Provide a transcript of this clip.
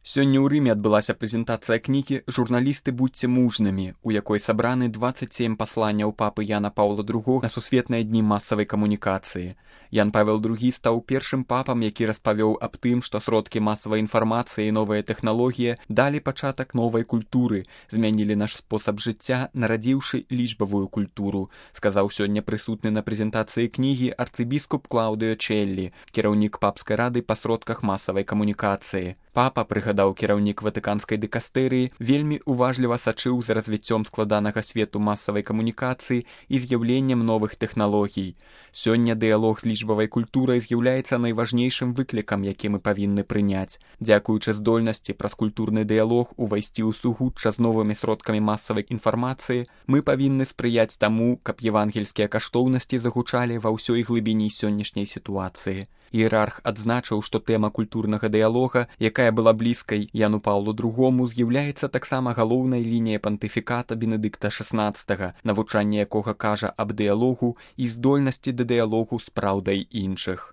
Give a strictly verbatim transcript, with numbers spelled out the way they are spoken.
Сёння ў Рыме адбылася прэзентацыя кнігі «Журналісты, будьце мужнымі», у якой сабраны дваццаць сем пасланняў папы Яна Паўла другога на сусветныя дні масавай камунікацыі. Ян Павел другі стаў першым папам, які распавёў аб тым, што сродкі масавай інфармацыі і новыя тэхналогіі далі пачатак новай культуры, змянілі наш спосаб жыцця, нарадзіўшы лічбавую культуру, сказаў сёння прысутны на прэзентацыі кнігі арцыбіскуп Клаўдыо Челлі, кіраўнік папскай рады па сродках масавай камунікацыі. Папа, прыгадаў кіраўнік ватыканскай дыкастэрыі, вельмі уважліва сачыў за развіццём складанага свету масавай камунікацыі і з'яўленнем новых тэхналогій. Сёння дыялог з лічбавай культурай з'яўляецца найважнейшым выклікам, які мы павінны прыняць. Дзякуючы здольнасці праз культурны дыялог увайсці ў сугучча з новымі сродкамі масавай інфармацыі, мы павінны спрыяць таму, каб евангельскія каштоўнасці загучалі ва ўсёй глыбіні сённяшняй сітуацыі. Іерарх адзначыў, што тэма культурнага дыялога, якая была блізкай Яну Паўлу другому, з'яўляецца таксама галоўнай лініяй пантыфіката Бенедыкта шаснаццатага, навучанне якога кажа аб дыялогу і здольнасці да дыялогу з праўдай іншых.